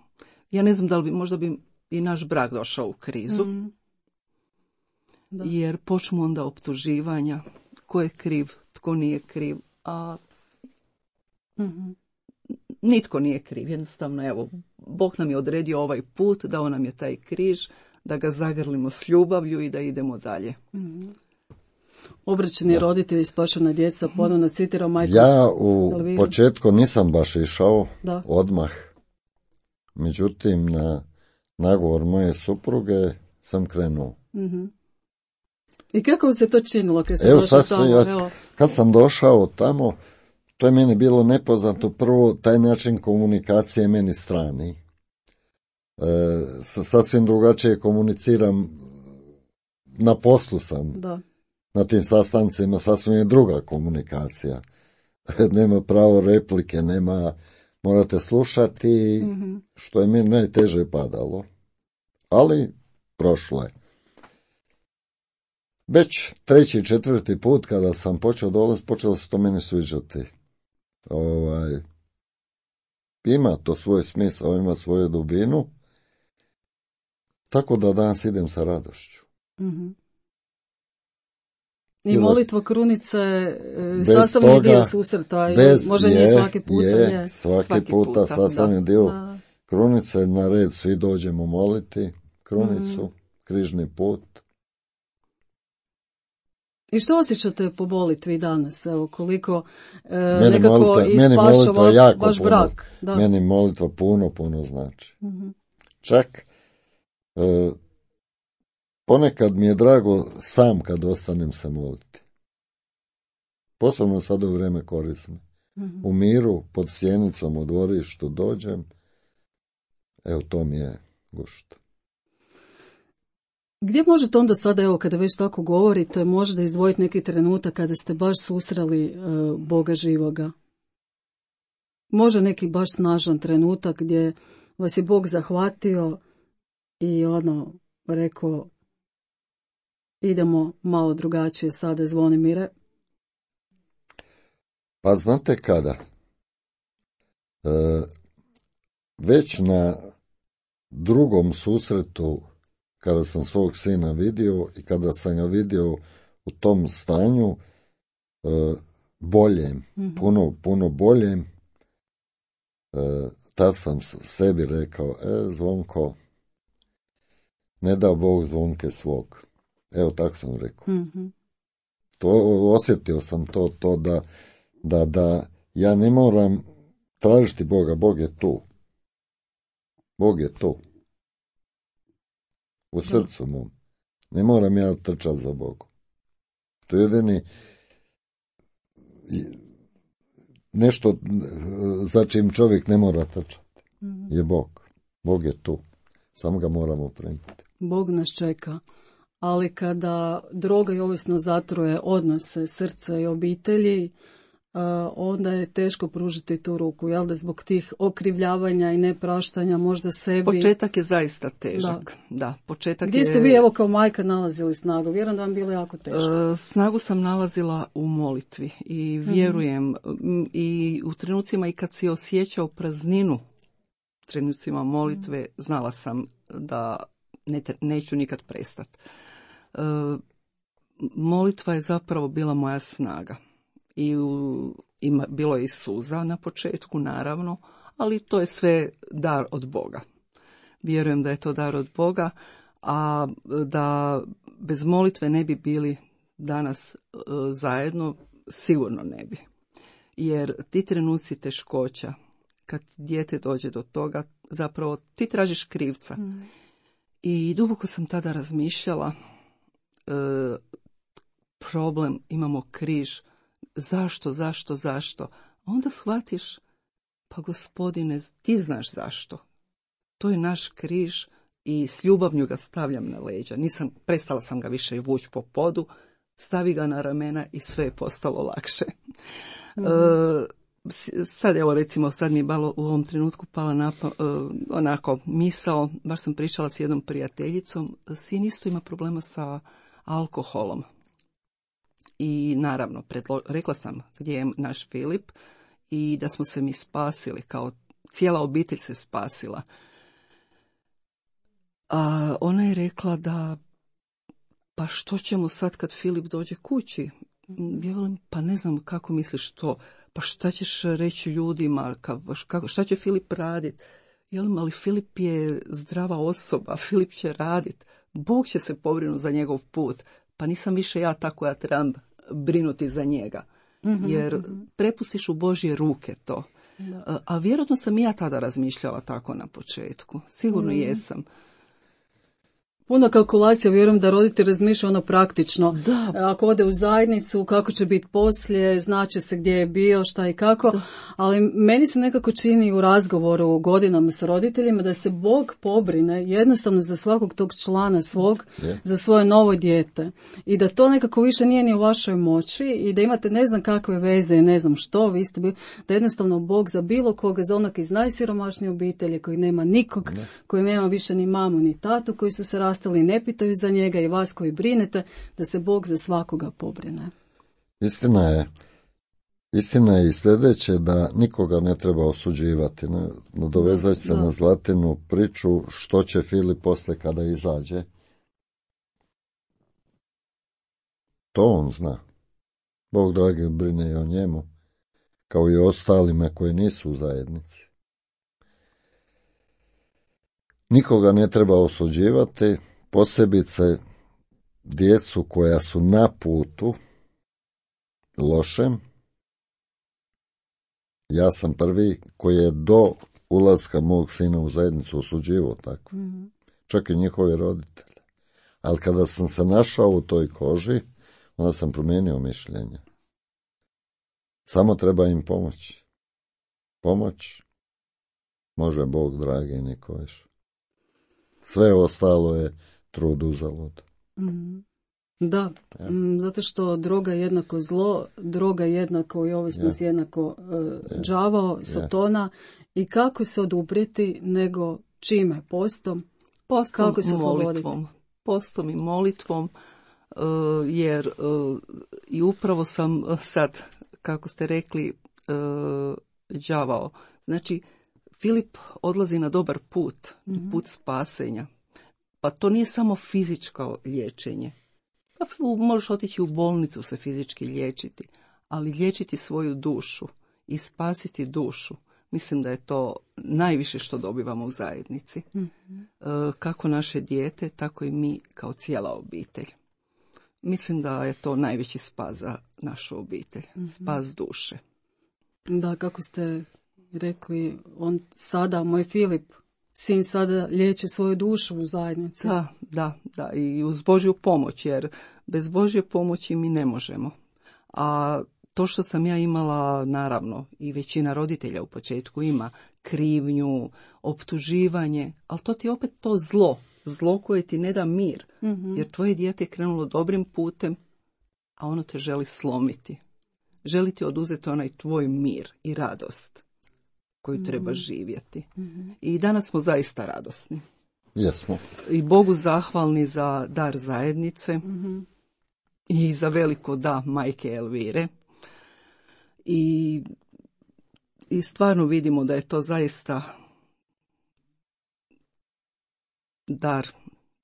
Ja ne znam da li bi, možda bi i naš brak došao u krizu. Mm. Da. Jer počnu onda optuživanja. Tko je kriv, tko nije kriv. A mm-hmm. nitko nije kriv. Jednostavno, evo, Bog nam je odredio ovaj put, dao nam je taj križ, da ga zagrlimo s ljubavlju i da idemo dalje. Mm-hmm. Obraćeni roditelji, spašena djeca, ponovno citirao majku. Ja u Elviru. Početku nisam baš išao da. odmah. Međutim, na nagovor moje supruge sam krenuo. Mm-hmm. I kako se to činilo kad ste evo, došli tamo? Ja, evo. Kad sam došao tamo, to je meni bilo nepoznato. Prvo, taj način komunikacije je meni strani. E, sasvim drugačije komuniciram, na poslu sam. Da. Na tim sastancima sasvim je druga komunikacija. Nema pravo replike, nema, morate slušati, mm-hmm. što je mi najteže padalo. Ali prošlo je. Već treći, četvrti put kada sam počeo dolaziti, počelo se to meni sviđati. Ovaj, ima to svoj smisao, ima svoju dubinu. Tako da danas idem sa radošću. Mm-hmm. I molitva krunice e, sastavni toga, dio susreta, bez, možda je, nije svaki puta. Je, je. svaki, svaki puta, puta sastavni da. dio da. krunice, na red svi dođemo moliti krunicu, mm. križni put. I što osjećate po molitvi danas? Evo, koliko e, meni nekako molitva, ispašava vaš puno, brak. Da. Meni molitva puno, puno znači. Mm-hmm. Čak e, ponekad mi je drago sam kad ostanem se moliti. Posebno sada u vrijeme korisne. Mm-hmm. U miru, pod sjenicom, u dvorištu dođem. Evo, to mi je gušt. Gdje možete onda sada, evo, kada već tako govorite, možete izdvojiti neki trenutak kada ste baš susreli uh, Boga živoga? Može neki baš snažan trenutak gdje vas je Bog zahvatio i ono, rekao, idemo malo drugačije sada, Zvonimire? Pa znate kada? E, već na drugom susretu, kada sam svog sina vidio i kada sam ga vidio u tom stanju, e, boljem, mm-hmm. puno, puno boljem, e, tad sam sebi rekao, e, Zvonko, ne da Bog Zvonke svog. Evo, tak sam rekao. Mm-hmm. To, osjetio sam to, to da, da, da ja ne moram tražiti Boga, Bog je tu. Bog je tu. U srcu mom. Ne moram ja trčati za Bogom. To je jedini nešto za čim čovjek ne mora trčati. Je Bog. Bog je tu. Samo ga moramo primiti. Bog nas čeka. Ali kada droga i ovisno zatruje odnose srca i obitelji, onda je teško pružiti tu ruku, jel da zbog tih okrivljavanja i nepraštanja možda sebi. Početak je zaista težak. Da. Da, početak Gdje je... ste vi evo kao majka nalazili snagu? Vjerujem da vam bilo jako teško. Snagu sam nalazila u molitvi i vjerujem mm-hmm. i u trenucima i kad si osjećao prazninu trenucima molitve, mm-hmm. znala sam da ne, neću nikad prestati. E, molitva je zapravo bila moja snaga. I u, ima, bilo je i suza na početku, naravno, ali to je sve dar od Boga. Vjerujem da je to dar od Boga, a da bez molitve ne bi bili danas uh, zajedno, sigurno ne bi. Jer ti trenuci teškoća, kad dijete dođe do toga, zapravo ti tražiš krivca. Mm. I duboko sam tada razmišljala, uh, problem, imamo križ, zašto, zašto, zašto? Onda shvatiš, pa Gospodine, ti znaš zašto. To je naš križ i s ljubavnju ga stavljam na leđa. Nisam, prestala sam ga više vući po podu, stavi ga na ramena i sve je postalo lakše. Mm-hmm. E, sad evo recimo, sad mi je malo u ovom trenutku pala napa, e, onako misao, baš sam pričala s jednom prijateljicom, sin isto ima problema sa alkoholom. I naravno, predlo, rekla sam gdje je naš Filip i da smo se mi spasili, kao cijela obitelj se spasila. A ona je rekla da, pa što ćemo sad kad Filip dođe kući? Ja velim, pa ne znam kako misliš to, pa šta ćeš reći ljudima, kako, šta će Filip raditi? Jelim, ali Filip je zdrava osoba, Filip će raditi, Bog će se pobrinuti za njegov put, pa nisam više ja ta koja trebam brinuti za njega. Mm-hmm, jer mm-hmm. prepustiš u Božje ruke to. Da. A, a vjerojatno sam i ja tada razmišljala tako na početku. Sigurno mm-hmm. jesam. Puno kalkulacija, vjerujem da roditelj razmišlja ono praktično. Da. Ako ode u zajednicu, kako će biti poslije, znaće se gdje je bio, šta i kako. Da. Ali meni se nekako čini u razgovoru godinama sa roditeljima da se Bog pobrine jednostavno za svakog tog člana svog, yeah. za svoje novo dijete. I da to nekako više nije ni u vašoj moći i da imate ne znam kakve veze i ne znam što, vi ste bili, da jednostavno Bog za bilo koga, za onog iz najsiromašnije obitelji koji nema nikog, yeah. koji nema više ni mamu ni tatu, koji su se rastali ne pitaju za njega i vas koji brinete, da se Bog za svakoga pobrine. Istina je, istina je i sljedeće da nikoga ne treba osuđivati. Nadovezać se da. na Zlatinu priču što će Filip posle kada izađe. To on zna. Bog dragi brine i o njemu, kao i o ostalima koji nisu u zajednici. Nikoga ne treba osuđivati, posebice djecu koja su na putu lošem. Ja sam prvi koji je do ulaska mog sina u zajednicu osuđivao tako. Mm-hmm. Čak i njihovi roditelji. Ali kada sam se našao u toj koži, onda sam promijenio mišljenje. Samo treba im pomoći. Pomoć može Bog dragi niko više. Sve ostalo je trud uzalud. Mm. Da, ja. Zato što droga je jednako zlo, droga je jednako i ovisnost ja. jednako uh, ja. đavao, satona ja. i kako se oduprijeti nego čime? Postom? Postom kako se molitvom. Postom i molitvom, uh, jer uh, i upravo sam uh, sad, kako ste rekli, uh, đavao. Znači, Filip odlazi na dobar put, mm-hmm. put spasenja. Pa to nije samo fizičko liječenje. Pa možeš otići u bolnicu se fizički liječiti, ali liječiti svoju dušu i spasiti dušu. Mislim da je to najviše što dobivamo u zajednici. Mm-hmm. Kako naše dijete, tako i mi kao cijela obitelj. Mislim da je to najveći spas za našu obitelj. Mm-hmm. Spas duše. Da, kako ste i rekli, on sada, moj Filip, sin sada liječi svoju dušu u zajednici. Da, da, da, i uz Božju pomoć, jer bez Božje pomoći mi ne možemo. A to što sam ja imala, naravno, i većina roditelja u početku ima krivnju, optuživanje, ali to ti je opet to zlo, zlo koje ti ne da mir, mm-hmm. jer tvoje dijete je krenulo dobrim putem, a ono te želi slomiti. Želi ti oduzeti onaj tvoj mir i radost koju mm-hmm. treba živjeti. Mm-hmm. I danas smo zaista radosni. Jesmo. I Bogu zahvalni za dar zajednice mm-hmm. i za veliko da majke Elvire. I, I stvarno vidimo da je to zaista dar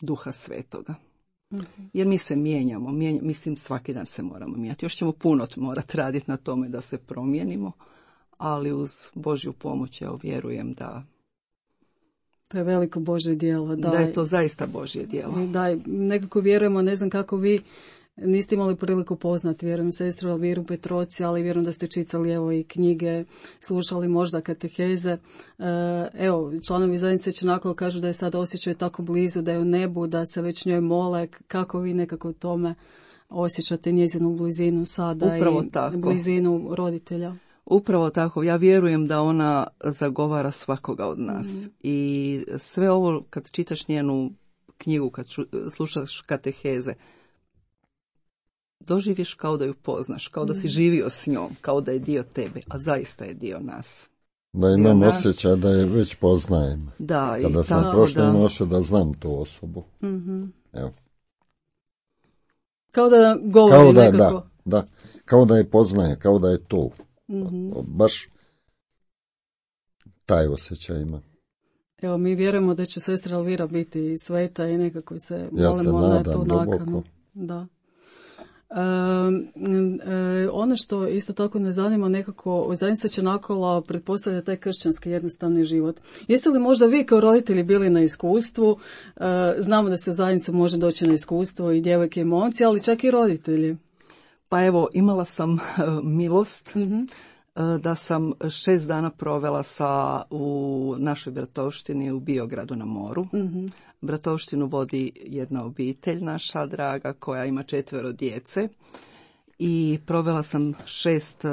Duha Svetoga. Mm-hmm. Jer mi se mijenjamo, mijenja, mislim svaki dan se moramo mijenjati. Još ćemo puno morati raditi na tome da se promijenimo, ali uz Božju pomoć ja vjerujem da to je veliko Božje djelo. Da, da je to zaista Božje djelo. Da, nekako vjerujemo, ne znam kako vi niste imali priliku poznati, vjerujem, sestru Elviru Petroci, ali vjerujem da ste čitali evo i knjige, slušali možda kateheze. Evo, članovi zajednice Čenakolo kažu da je sad osjećaju tako blizu, da je u nebu, da se već njoj mole. Kako vi nekako tome osjećate njezinu blizinu sada? Upravo i tako. Blizinu roditelja? Upravo tako. Ja vjerujem da ona zagovara svakoga od nas. Mm-hmm. I sve ovo, kad čitaš njenu knjigu, kad slušaš kateheze, doživiš kao da ju poznaš, kao da si živio s njom, kao da je dio tebe, a zaista je dio nas. Da imam osjećaj da je već poznajem. Da, kada i sam tako, prošle da. noće da znam tu osobu. Mm-hmm. Evo. Kao da govori kao da, nekako. Da, da, kao da je poznaje, kao da je tu. Mm-hmm. Baš taj osjećaj ima. Evo, mi vjerujemo da će sestra Elvira biti sveta i nekako se ja molimo se na nadam tu nakanu. Da. E, e, ono što isto tako ne zanima nekako, zajednica Čenakolo pretpostavlja taj kršćanski jednostavni život. Jeste li možda vi kao roditelji bili na iskustvu? E, znamo da se u zajednicu može doći na iskustvo i djevojke i momci, ali čak i roditelji. Pa evo, imala sam uh, milost Mm-hmm. uh, da sam šest dana provela sa, u našoj bratovštini u Biogradu na moru. Mm-hmm. Bratovštinu vodi jedna obitelj naša draga koja ima četvero djece i provela sam šest uh,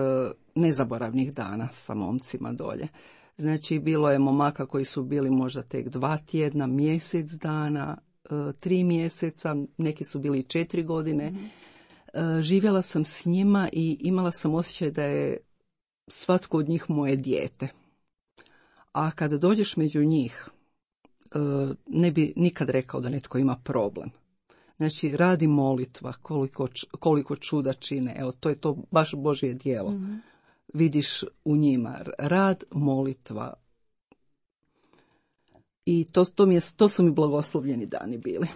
nezaboravnih dana sa momcima dolje. Znači, bilo je momaka koji su bili možda tek dva tjedna, mjesec dana, uh, tri mjeseca, neki su bili četiri godine. Mm-hmm. Živjela sam s njima i imala sam osjećaj da je svatko od njih moje dijete. A kada dođeš među njih, ne bi nikad rekao da netko ima problem. Znači, radi molitva, koliko, koliko čuda čine. Evo, to je to baš Božje djelo. Mm-hmm. Vidiš u njima rad, molitva. I to, to, mi je, to su mi blagoslovljeni dani bili.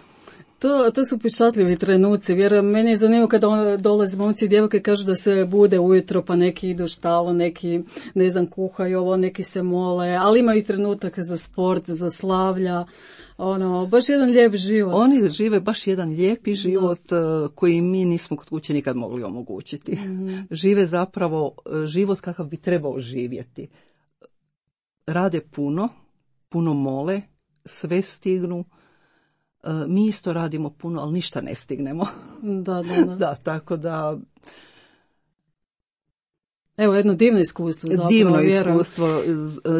To, to su pečatljivi trenuci. Vjerujem, meni je zanimljivo kada dolaze momci i djevojke kažu da se bude ujutro, pa neki idu u štalu, neki, ne znam, kuhaju ovo, neki se mole, ali imaju i trenutaka za sport, za slavlja. Ono, baš jedan lijep život. Oni žive baš jedan lijepi život da. Koji mi nismo kod kuće nikad mogli omogućiti. Mm-hmm. Žive zapravo život kakav bi trebao živjeti. Rade puno, puno mole, sve stignu. Mi isto radimo puno, ali ništa ne stignemo. Da, da, da. Da, tako da... Evo, jedno divno iskustvo. Zapravo, divno vjerujem. iskustvo.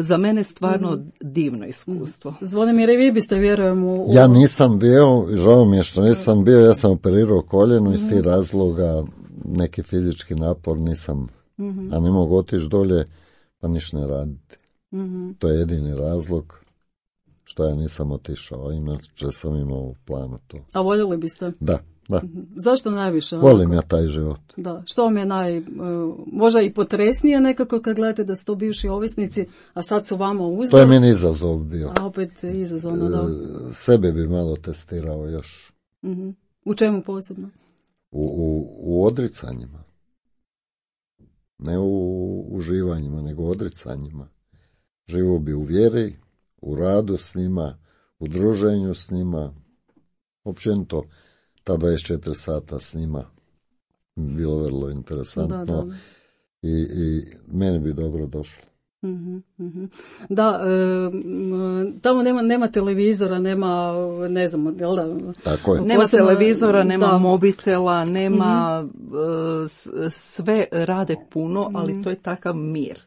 Za mene stvarno mm. divno iskustvo. Zvonimir, i vi biste, vjerujem, u... Ja nisam bio, žao mi je što nisam bio, ja sam operirao koljeno, iz tih razloga neki fizički napor nisam, mm-hmm. a ne mogu otići dolje, pa ništa ne raditi. Mm-hmm. To je jedini razlog što ja nisam otišao, inače sam imao u planu to. A voljeli biste? Da, da. Mm-hmm. Zašto najviše? Volim ja taj život. Da. Što vam je naj, uh, možda i potresnije nekako kad gledate da su to bivši ovisnici, a sad su vama uzdor? To je meni izazov bio. A opet izazovno, da. E, sebe bi malo testirao još. Mm-hmm. U čemu posebno? U, u, u odricanjima. Ne u uživanjima, nego u odricanjima. Živo bi u vjeri, u radu s njima, u druženju s njima, općenito ta dvadeset četiri sata s njima bilo vrlo interesantno. Da, da. I, i meni bi dobro došlo. Mm-hmm, mm-hmm. Da, e, tamo nema, nema televizora, nema, ne znam, jel da? Tako je. Nema Posebno, televizora, nema da. mobitela, nema, Mm-hmm. e, sve rade puno, mm-hmm. ali to je takav mir.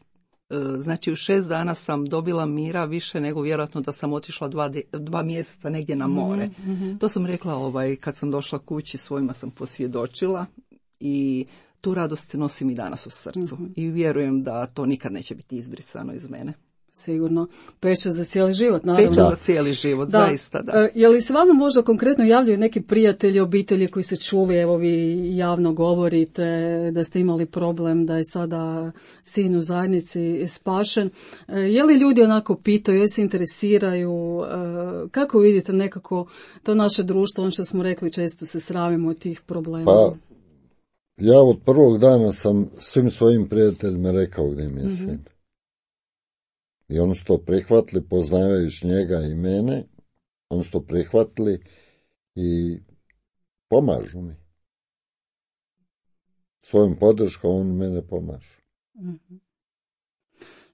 E, znači u šest dana sam dobila mira više nego vjerojatno da sam otišla dva, dva mjeseca negdje na more. Mm-hmm. To sam rekla ovaj, kad sam došla kući, svojima sam posvjedočila i tu radost nosim i danas u srcu. Mm-hmm. I vjerujem da to nikad neće biti izbrisano iz mene. Sigurno. Pečat za cijeli život, naravno. Pečat za cijeli život, da. zaista, da. E, je li se vama možda konkretno javljaju neki prijatelji, obitelji koji su čuli, evo vi javno govorite da ste imali problem, da je sada sin u zajednici spašen. E, je li ljudi onako pitaju, je se interesiraju, e, kako vidite nekako to naše društvo, ono što smo rekli, često se sramimo od tih problema? Pa, ja od prvog dana sam svim svojim prijateljima rekao gdje mi je sin. Mm-hmm. I oni su to prihvatili, poznavajući njega i mene, oni su to prihvatili i pomažu mi. Svojom podrškom on mene pomaže. Mm-hmm.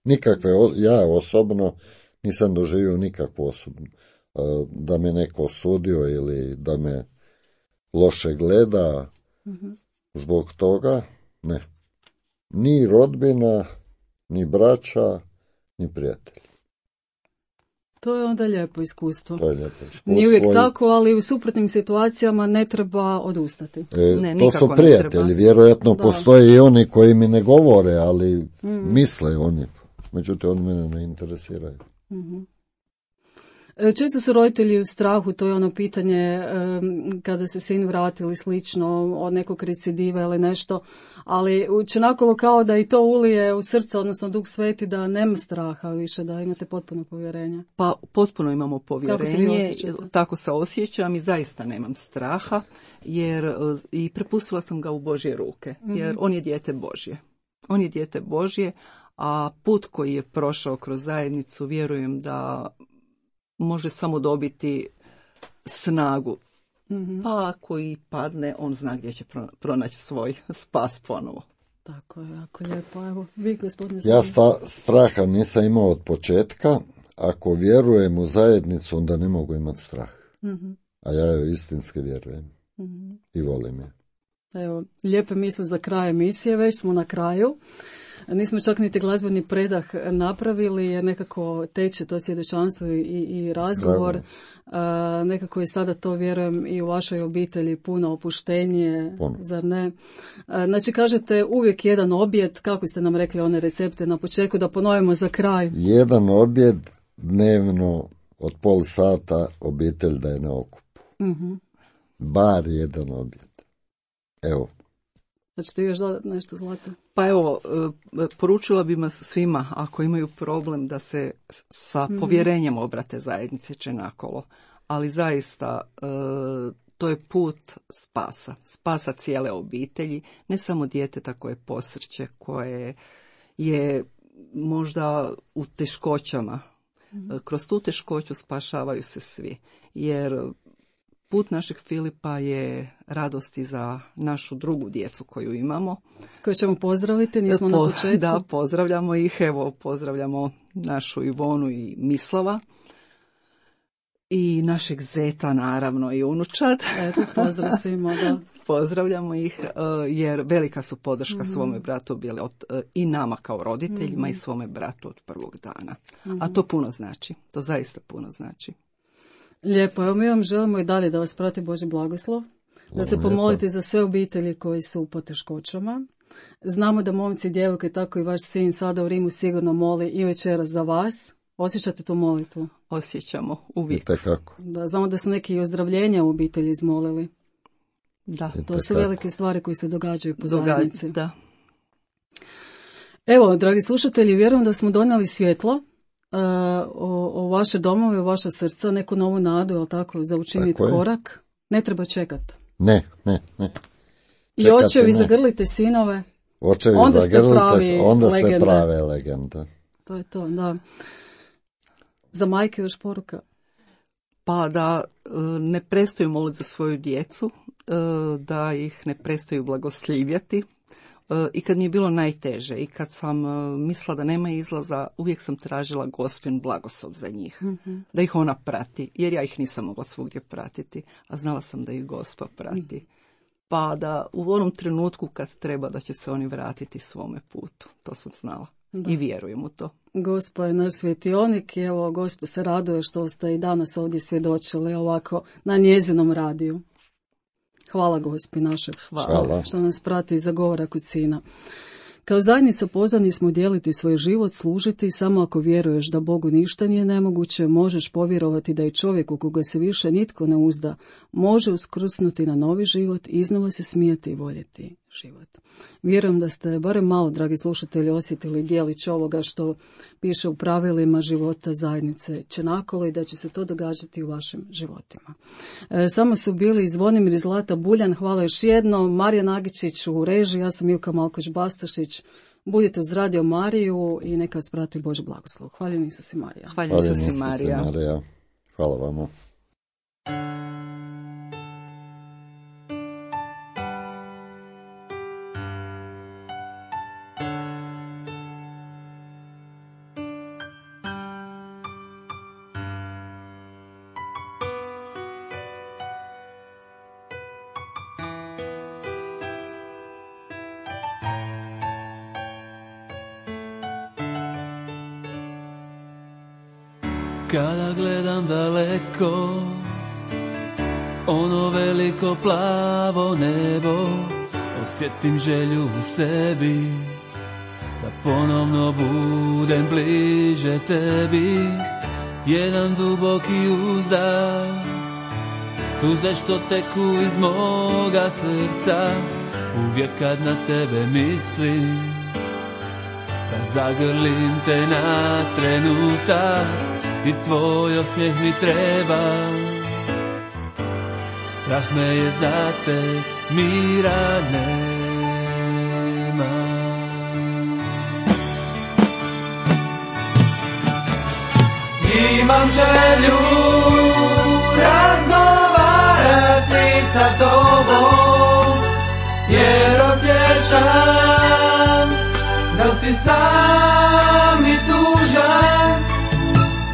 Nikakve, ja osobno nisam doživio nikakvu osobnu, da me neko osudio ili da me loše gleda, mm-hmm. zbog toga, ne. Ni rodbina, ni braća, ni prijatelji. To je onda lijepo iskustvo. To je lijepo iskustvo. Nije uvijek tako, ali u suprotnim situacijama ne treba odustati. E, ne, to su prijatelji, vjerojatno da. Postoje i oni koji mi ne govore, ali mm. misle oni. Međutim, oni mene ne interesiraju. Mm-hmm. Često su roditelji u strahu, to je ono pitanje um, kada se sin vrati ili slično od nekog recidiva ili nešto, ali učinakolo kao da i to ulije u srce, odnosno Duh Sveti, da nema straha više, da imate potpuno povjerenje. Pa potpuno imamo povjerenje, tako se, tako se osjećam i zaista nemam straha, jer i prepustila sam ga u Božje ruke, jer mm-hmm. on je dijete Božje. On je dijete Božje, a put koji je prošao kroz zajednicu, vjerujem da može samo dobiti snagu. Mm-hmm. Pa ako i padne, on zna gdje će pronaći svoj spas ponovo. Tako je, jako lijepo. Evo, vi, gospodine Ja sta, straha nisam imao od početka. Ako vjerujem u zajednicu, onda ne mogu imati strah. Mm-hmm. A ja joj istinski vjerujem. Mm-hmm. I volim je. Evo, lijepe misle za kraj emisije, već smo na kraju. Nismo čak niti glazbeni predah napravili jer nekako teče to svjedočanstvo i, i razgovor. Uh, nekako je sada to, vjerujem, i u vašoj obitelji puno opuštenije, puno. Zar ne? Uh, znači, kažete uvijek jedan objed, kako ste nam rekli one recepte na početku, da ponovimo za kraj. Jedan objed dnevno od pol sata obitelj da je na okupu. Uh-huh. Bar jedan objed. Evo. Znači ti još dodati nešto, Zlata? Pa evo, poručila bi vas svima, ako imaju problem, da se sa mm-hmm. povjerenjem obrate zajednici Čenakolo. Ali zaista, to je put spasa. Spasa cijele obitelji, ne samo djeteta koje posrće, koje je možda u teškoćama. Mm-hmm. Kroz tu teškoću spašavaju se svi. Jer put našeg Filipa je radosti za našu drugu djecu koju imamo. Koju ćemo pozdraviti, nismo po, na početku. Da, pozdravljamo ih. Evo, pozdravljamo našu Ivonu i Mislava. I našeg zeta, naravno, i unučad. Eto, pozdrav svima, da. Pozdravljamo ih, jer velika su podrška mm-hmm. svome bratu bili od, i nama kao roditeljima mm-hmm. i svome bratu od prvog dana. Mm-hmm. A to puno znači. To zaista puno znači. Lijepo, evo mi vam želimo i dalje da vas prati Božji blagoslov, da se pomolite za sve obitelji koji su u poteškoćama. Znamo da momci i djevojke, tako i vaš sin sada u Rimu sigurno moli i večeras za vas. Osjećate tu molitvu? Osjećamo, uvijek. Tako. Da, znamo da su neki ozdravljenja u obitelji izmolili. Da. To su velike stvari koje se događaju po Događa, zajednici. Da. Evo, dragi slušatelji, vjerujem da smo donijeli svjetlo Uh, o, o vaše domove, o vaša srca, neku novu nadu, jel tako, za učiniti korak. Ne treba čekati. Ne, ne, ne. I očevi, zagrlite sinove. Očevi, onda zagrlite, ste pravi onda legende. ste prave legende. To je to, da. Za majke još poruka. Pa da ne prestaju moliti za svoju djecu, da ih ne prestaju blagoslivjati. I kad mi je bilo najteže i kad sam mislila da nema izlaza, uvijek sam tražila Gospin blagoslov za njih, mm-hmm. da ih ona prati, jer ja ih nisam mogla svugdje pratiti, a znala sam da ih Gospa prati. Mm. Pa da u onom trenutku kad treba da će se oni vratiti svome putu, to sam znala. Da. I vjerujem u to. Gospa je naš svjetionik i evo Gospa se raduje što ste i danas ovdje svjedočili ovako na njezinom radiju. Hvala Gospi našeg Hvala. Što nas prati i zagovara kod sina. Kao zajednica pozvani smo dijeliti svoj život, služiti, samo ako vjeruješ da Bogu ništa nije nemoguće, možeš povjerovati da i čovjek u koga se više nitko ne uzda može uskrsnuti na novi život, iznova se smijeti i voljeti život. Vjerujem da ste barem malo, dragi slušatelji, osjetili dijelić ovoga što piše u pravilima života zajednice Čenakolo i da će se to događati u vašim životima. E, samo su bili Zvonimir i Zlata Buljan, hvala još jednom, Marija Nagičić u režiji, ja sam Ilka Malkoć-Bastašić. Budite uz Radio Mariju i neka vas prati Božji blagoslov. Hvala Isus i Marija. Hvala Isus i Marija. Marija. Hvala vama. Kada gledam daleko, ono veliko plavo nebo, osjetim želju u sebi, da ponovno budem bliže tebi. Jedan duboki uzdah, suze što teku iz moga srca, uvijek kad na tebe mislim, da zagrlim te na trenutak. I tvoj osmijeh mi treba, strah me je za te, mira nema. Imam želju razgovarati sa tobom, jer osjećam da si sam i tužan.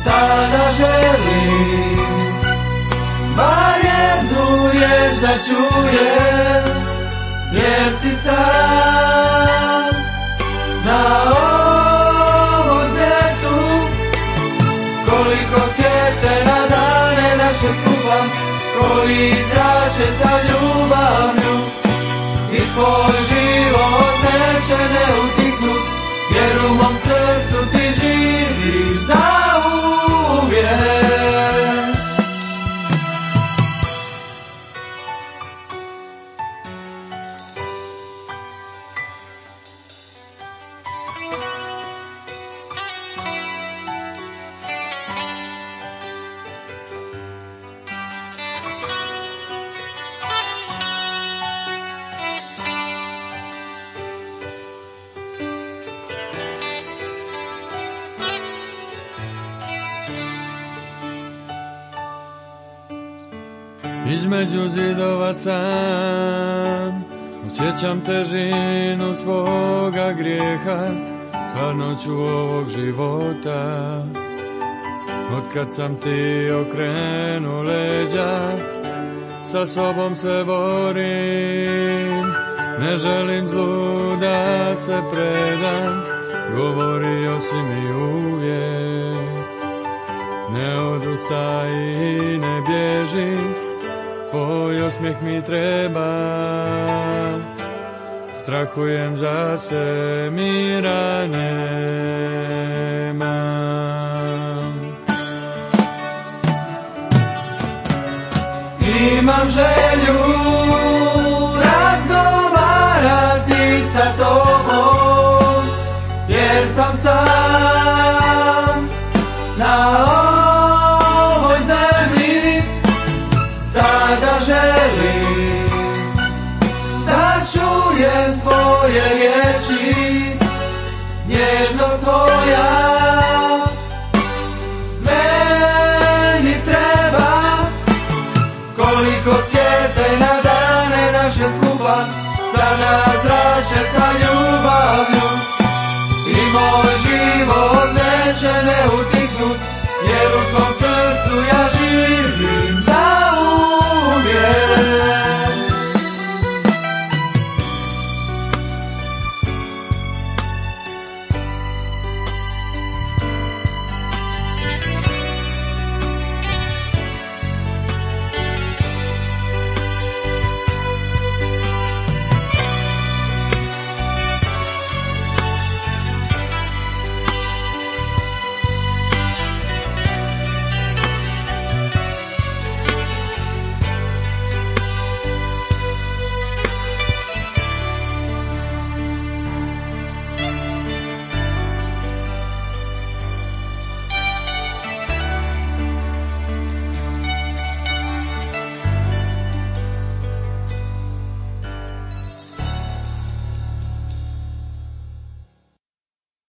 Sada želim bar jednu riječ da čujem, jer si sam na ovom svijetu. Koliko svijete na dane naše skupa, koji zrače sa ljubavlju, i tvoj život neće ne utihnut, jer u mom srcu ti živiš za između zidova sam, osjećam težinu svoga grijeha, hladnoću ovog života. Otkad sam ti okrenuo leđa, sa sobom se borim, ne želim zlu da se predam, govorio si mi uvijek, ne odustaj i ne bježi, tvoj osmijeh mi treba, strahujem za se, mira nemam. Imam želju razgovarati sa tobom, jer sam sam na ovoj zemlji. Sada želim da čujem tvoje riječi,